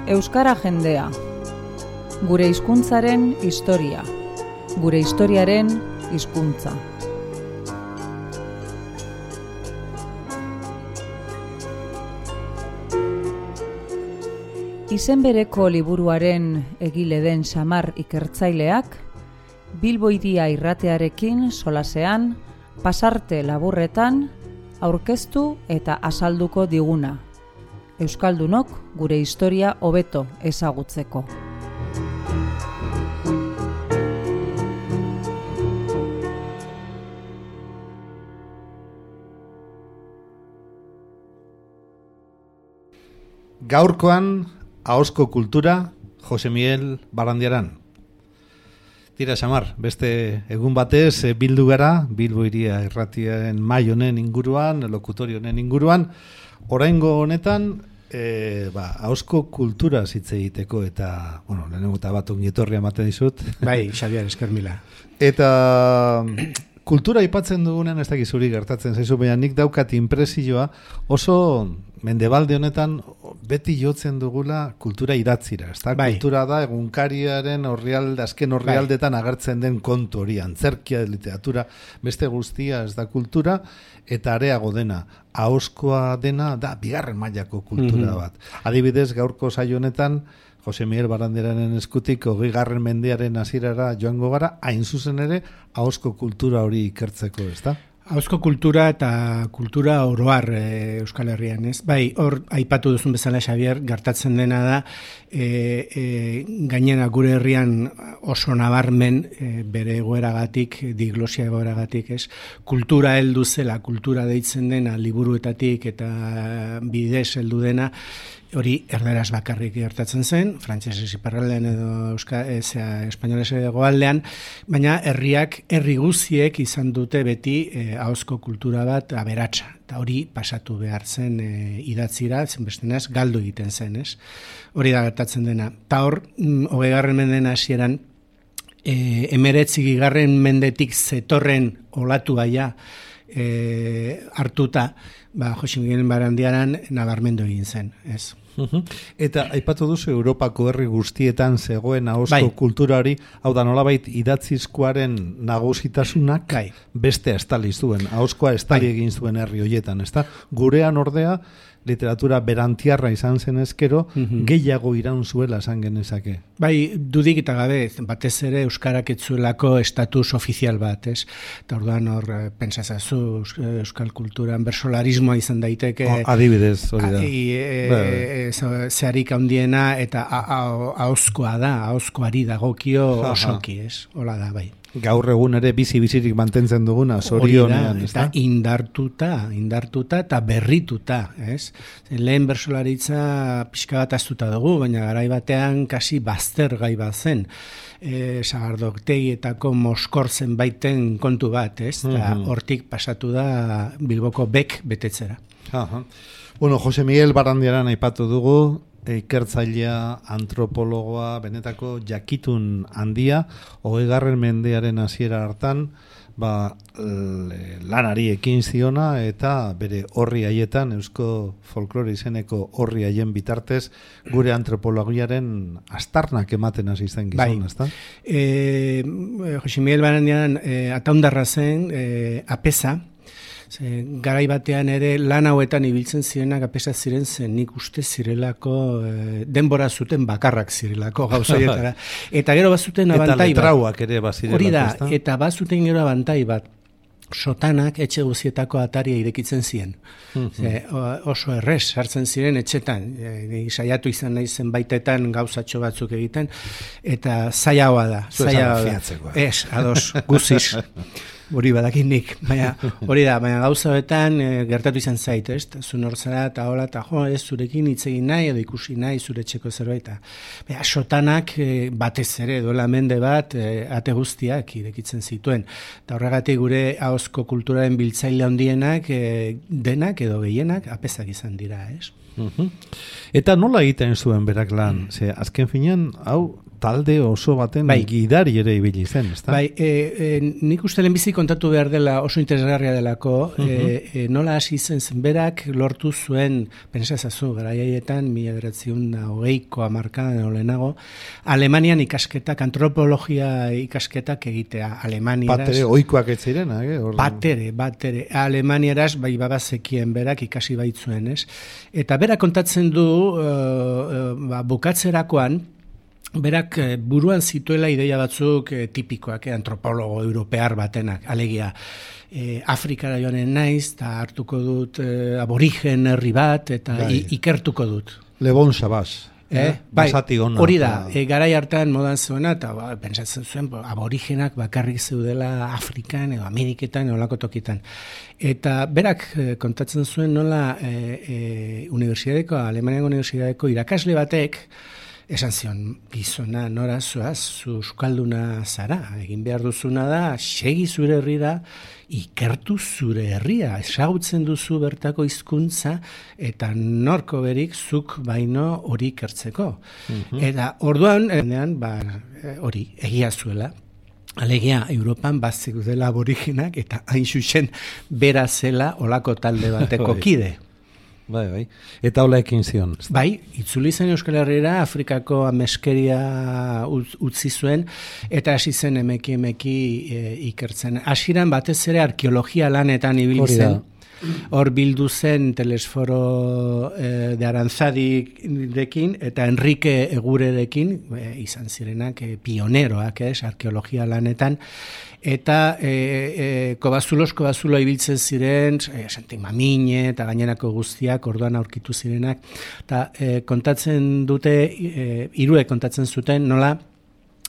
Euskara jendea. Gure hizkuntzaren historia. Gure historiaren hizkuntza. Izen bereko liburuaren egile den Samar ikertzaileak, Bilbo Hiria irratearekin solasean, pasarte laburretan, aurkeztu eta azalduko diguna. Euskaldunok gure historia hobeto ezagutzeko. Gaurkoan, ahozko kultura, Jose Miguel Barandiaran. Tira, Samar, beste egun batez bildu gara, Bilbo Hiria irratiaren mahai honen inguruan, lokutorio honen inguruan, oraingo honetan, ahozko kultura hitz egiteko eta, lehenengo eta bat ongietorria ematen dizut. Bai, Xabier, esker mila. Eta kultura aipatzen dugunean, ez dakiz zuri gertatzen zaizu, baina nik daukat inpresioa, oso mendebalde honetan beti jotzen dugula kultura idatzira. Bai. Kultura da egunkariaren azken orrialdetan agertzen den kontu hori, antzerkia, literatura, beste guztia ez da kultura, eta areago dena, ahozkoa dena da bigarren mailako kultura bat. Adibidez, gaurko saio honetan, Jose Miguel Barandiaranen eskutik 20. mendearen hasierara joango gara, hain zuzen ere, ahozko kultura hori ikertzeko, ezta? Ahozko kultura eta kultura oroar Euskal Herrian, ez? Bai, hor aipatu duzun bezala, Xabier, gertatzen dena da, gainera gure herrian oso nabarmen bere egoeragatik, diglosia egoeragatik, ez? Kultura heldu zela, kultura deitzen dena, liburuetatik eta bidez heldu dena, hori erderaz bakarrik gertatzen zen, frantsesez iparraldean edo espainolez hegoaldean, baina herri guziek izan dute beti ahozko kultura bat aberatsa. Eta hori pasatu behar zen idatzira, zenbestenaz galdu egiten zen, ez? Hori da gertatzen dena. Ta hor, 20. mendeen hasieran, 19. mendetik zetorren olatu gaia hartuta, Jose Miguel Barandiaran nabarmendu egin zen, ez? Eta aipatu duzu Europako herri guztietan zegoen ahozko kultura hori, hau da nolabait idatzizkoaren nagusitasunak beste estali zuen, ahozkoa estali egin zuen herri horietan, ezta? Gurean ordea literatura berantiarra izan zen ezkero, gehiago iraun zuela esan genezake. Bai, dudik eta gabe, batez ere euskarak etzuelako estatus ofizial bat, ez? Eta orduan hor, pentsazazu, euskal kulturan bersolarismoa izan daiteke. Adibidez, hori da. Zeharik handiena eta ahozkoa da, ahozkoari dagokio osoki, ez? Hola da, bai. Gaur egun ere bizirik mantentzen duguna, zorionean, ez da? Eta indartuta eta berrituta, ez? Lehen bersolaritza pixka bat aztuta dugu, baina garai batean kasi bazter gai bat zen. Sagardoktegietako moskortzen baiten kontu bat, ez? Eta hortik pasatu da Bilboko bek betetzera. Jose Miguel Barandiaran aipatu dugu, ikertzailea, antropologoa, benetako jakitun handia, 20. mendearen hasiera hartan, lanari ekin ziona eta bere horri haietan, eusko folklore izeneko horri haien bitartez, gure antropologiaren astarnak ematen hasi zen gizon, ezta? Jose Miguel Barandiaran ataundarra zen, apesa, garai batean ere lan hauetan ibiltzen zirenak apesa ziren zen nik uste zirelako denbora zuten bakarrak zirelako gauzoietara. Eta gero bazuten abantai bat. Eta letrauak ere bazirelako. Hori da, eta bazuten gero abantai bat. Sotanak etxe guzietako ataria irekitzen ziren. Oso errez sartzen ziren etxetan. Saiatu izan nahi zenbaitetan gauzatxo batzuk egiten. Eta zailagoa da. Ez, ados, guziz. Hori badakinik, baina hori da, baina gauza hoetan gertatu izan zait, ez? Zun hor zara eta hola, eta ez zurekin hitz egin nahi edo ikusi nahi zure etxeko zerbait. Sotanak batez ere, duela mende bat, ate guztiak irekitzen zituen. Eta horregatik gure ahozko kulturaren biltzaile handienak, denak edo gehienak, apezak izan dira, ez? Eta nola egiten zuen berak lan? Azken finean, hau talde oso baten gidari ere ibili zen, ezta? Bai, nik uste lehenbizi kontatu behar dela oso interesgarria delako, nola hasi zen berak lortu zuen, pentsazazu, garaiaietan, 1920ko hamarkadan olenago, Alemanian ikasketak, antropologia ikasketak egitea, Alemaniaraz. Batere, oikoak ez ziren, Batere. Alemaniaraz, bai babazekien berak ikasi baitzuen, ez? Eta berak kontatzen du, bukatzerakoan, berak buruan zituela ideia batzuk tipikoak, antropologo europear batenak, alegia Afrikara joanen naiz, eta hartuko dut aborigen herri bat, eta ikertuko dut. Le Bon Sauvage. Hori da, garai hartan modan zuena, eta pentsatzen zuen, aborigenak bakarrik zeudela Afrikan edo Ameriketan edo olako tokitan. Eta berak kontatzen zuen nola Alemaniako unibertsitateko irakasle batek esan zion, gizona nora zoaz, zu euskalduna zara, egin behar duzuna da, segi zure herrira, ikertu zure herria, ezagutzen duzu bertako hizkuntza eta norko berik zuk baino hori ikertzeko. Eta orduan, hori, egia zuela, alegia, Europan bazik dela aboriginak eta hain zuzen bera zela olako talde bateko kide. Bai. Eta hola ekin zion. Bai, itzuli zen Euskal Herriera, Afrikako ameskeria utzi zuen, eta hasi zen emeki ikertzen. Hasieran batez ere arkeologia lanetan ibili zen. Hor bildu zen Telesforo de Aranzadirekin eta Enrique Egurerekin, izan zirenak pioneroak, arkeologia lanetan, eta kobazulo ibiltzen ziren, Santi Mamine eta gainerako guztiak orduan aurkitu zirenak, eta kontatzen dute, hiruek kontatzen zuten, nola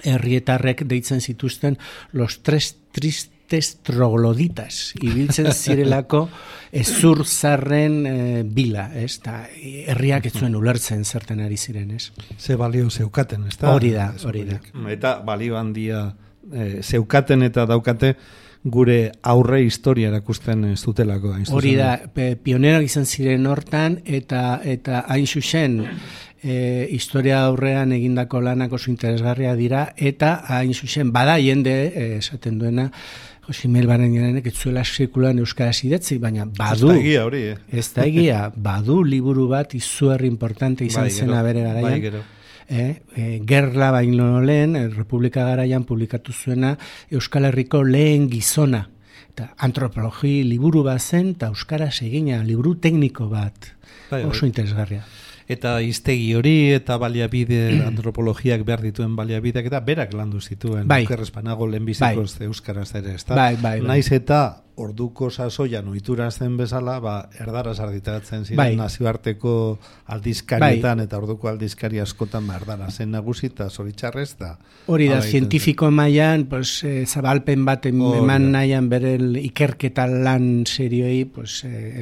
herrietarrek deitzen zituzten los tres tristes trogloditas, ibiltzen zirelako ezur zarren bila, ez? Ta herriak ez zuen ulertzen zerten ari ziren, ez? Ze balio zeukaten, ez da? Hori da. Eta balio handia zeukaten eta daukate gure aurre historia erakusten zutelako. Hori da, pioneroak izan ziren hortan, eta hain zuzen, historia aurrean egindako lanak oso interesgarria dira, eta hain zuzen, bada jende, esaten duena, Josimel Barenianek ez zuela sekulan euskaraz idatzi, baina badu. Ez da egia, badu liburu bat izugarri importante izan zena bere garaian. Gerla baino lehen, Republika garaian publikatu zuena Euskal Herriko lehen gizona. Eta antropologi liburu bat zen, eta euskaraz egina, liburu tekniko bat. Oso interesgarria. Eta hiztegi hori eta baliabide antropologiak behar dituen baliabideak eta berak landu zituen. Okerrezpanago lehenbizikoz euskaraz ere, ez da? Naiz eta orduko sasoian ohitura zen bezala, erdaraz argitaratzen ziren nazioarteko aldizkarietan eta orduko aldizkari askotan erdara zen nagusi eta zoritxarrez da. Hori da, zientifiko mailan, zabalpen bat eman nahian bere ikerketa lan serioi,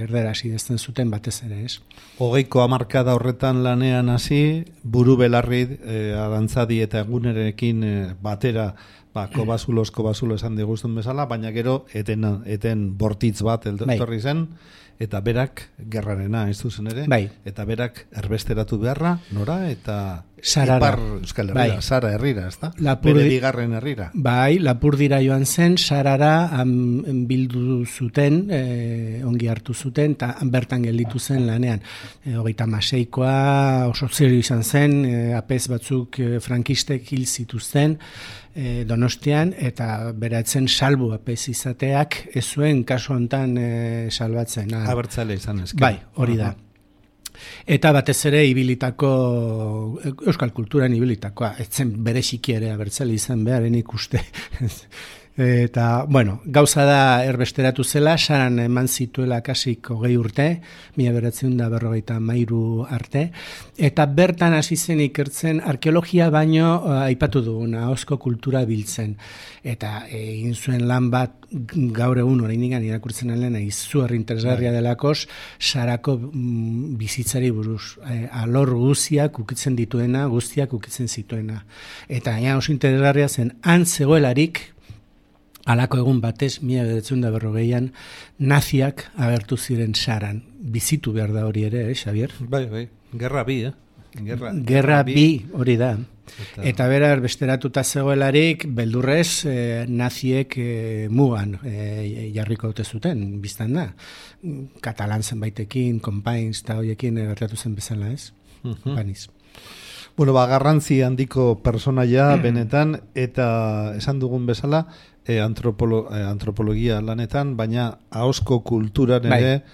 erdaraz idazten zuten batez ere, ez? 20ko hamarkada horretan lanean hasi, buru belarri Arantzadi eta Egunerekin batera kobazulo esan diguzten bezala, baina gero eten bortitz bat etorri zen, eta berak gerrarena ez duzen ere, eta berak erbesteratu beharra, nora, eta Ipar Euskal Herrira, Sara herrira, ez da? Bere bigarren herrira. Lapurdira joan zen, Sarara bildu zuten, ongi hartu zuten, eta bertan gelditu zen lanean. 36koa oso zerio izan zen, apez batzuk frankistek hil zituzten, Donostian, eta beratzen salbu apez izateak, ez zuen kasu hontan salbatzen. Abertzale izan ezken. Bai, hori da. Eta batez ere ibilitako, euskal kulturan ibilitakoa, etzen bereziki ere abertzale izan beharen ikuste. Eta, gauza da erbesteratu zela, Saran eman zituela kasik 20 urte, 1953 arte, eta bertan hasi zen ikertzen arkeologia baino aipatu duguna, ahozko kultura biltzen. Eta egin zuen lan bat gaur egun oraindik irakurtzen alena izugarri interesgarria delakos, Sarako bizitzari buruz, alor guztiak ukitzen dituena, guztiak ukitzen zituena. Eta oso interesgarria zen, han zegoelarik, halako egun batez, 1940an, naziak agertu ziren Saran. Bizitu behar da hori ere, Xavier? Bai, gerra bi, Gerra bi, hori da. Eta berar, besteratuta zegoelarik, beldurrez, naziek mugan jarriko dute zuten, biztan da. Katalan zenbaitekin, Companys eta hoiekin gertatu zen bezala, ez? Baniz. Bueno, garrantzi handiko personaia benetan, eta esan dugun bezala, antropologia lanetan, baina ahozko kulturan ere,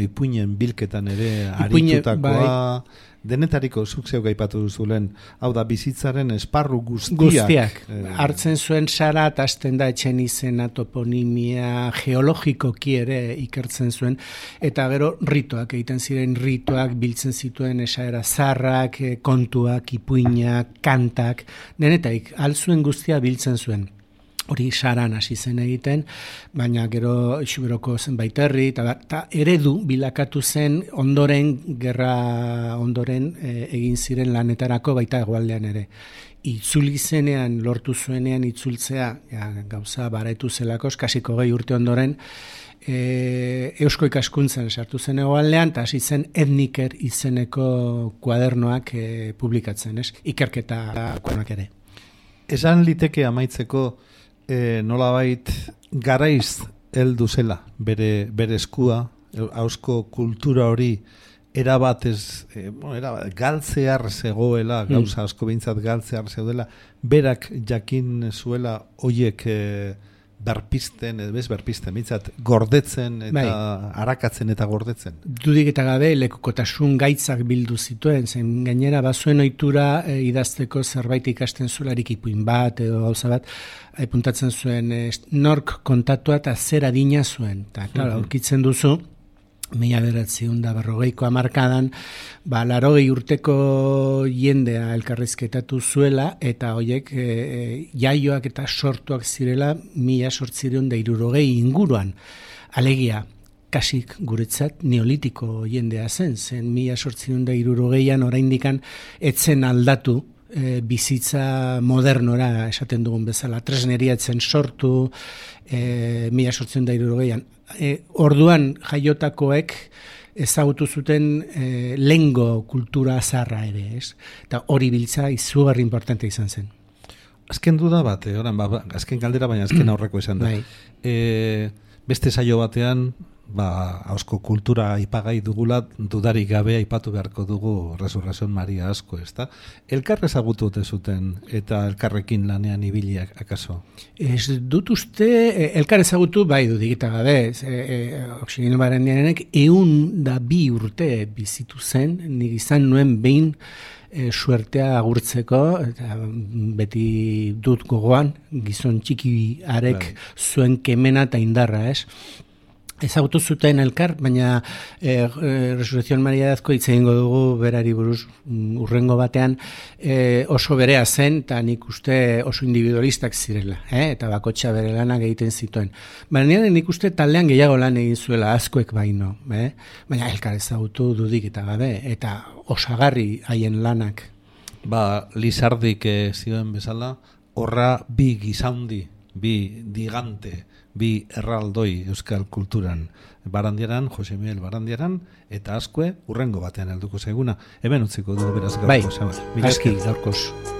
ipuinen bilketan ere aritutakoa, denetariko zuk zeuk aipatu duzulen, hau da bizitzaren esparru guztiak. Hartzen zuen sara, eta hasten da etxen izena, toponimia, geologikoki ere ikertzen zuen, eta gero rituak, egiten ziren rituak, biltzen zituen esaera zarrak, kontuak, ipuinak, kantak, denetarik, alzuen guztia biltzen zuen. Hori saran hasi zen egiten, baina gero Xuberoko zenbait herri, eta eredu bilakatu zen gerra ondoren egin ziren lanetarako baita hegoaldean ere. Itzuli zenean, lortu zuenean itzultzea, gauza baraitu zelako, kasiko 20 urte ondoren, eusko ikaskuntzan sartu zen hegoaldean, eta hasi zen Etniker izeneko kuadernoak publikatzen, ez? Ikerketa kuadernoak ere. Esan liteke amaitzeko, nolabait garaiz heldu zela bere eskua, ahozko kultura hori erabat galtzear zegoela, gauza asko behintzat galtzear zegoela, berak jakin zuela hoiek berpisten, behintzat gordetzen eta arakatzen eta gordetzen. Dudik eta gabe lekukotasun gaitzak bildu zituen, zen gainera bazuen ohitura idazteko zerbait ikasten zuelarik ipuin bat edo gauza bat, puntatzen zuen nork kontatua eta zer adina zuen. Eta, aurkitzen duzu, 1940ko hamarkadan, 80 urteko jendea elkarrizketatu zuela, eta hoiek jaioak eta sortuak zirela 1860 inguruan. Alegia, kasik guretzat neolitiko jendea zen 1860an oraindikan etzen aldatu bizitza modernora esaten dugun bezala. Tresneria etzen sortu 1860an. Orduan jaiotakoek ezagutu zuten lengo kultura zarra ere, ez? Eta hori biltza izugarri importante izan zen. Azken duda bat, azken galdera, baina azken aurreko izan da. Beste saio batean, ahozko kultura aipagai dugula, dudarik gabe aipatu beharko dugu Resurrección Maria asko, ezta? Elkar ezagutu ote zuten eta elkarrekin lanean ibiliak akaso? Ez dut uste, elkar ezagutu bai dudik eta gabe, Oxigeno Barandiarenek 102 urte bizitu zen, nik izan nuen behin suertea agurtzeko, eta beti dut gogoan, gizon txiki arek zuen kemena eta indarra, ez? Ezagutu zuten elkar, baina Resurrección Maria dazko hitz egingo dugu berari buruz urrengo batean oso berea zen, eta nik uste oso individualistak zirela, eta bakotxa bere lanak egiten zituen. Baina nik uste taldean gehiago lan egin zuela, askoek baino, baina elkar ezagutu dudik eta gabe, eta osagarri haien lanak. Lizardik zioen bezala, horra bi gizaundi, bi digante, bi erraldoi euskal kulturan, Barandiaran, Jose Miguel Barandiaran, eta askue urrengo batean helduko zaiguna. Hemen utziko dugu beraz gaurko. Aski gaurkoz.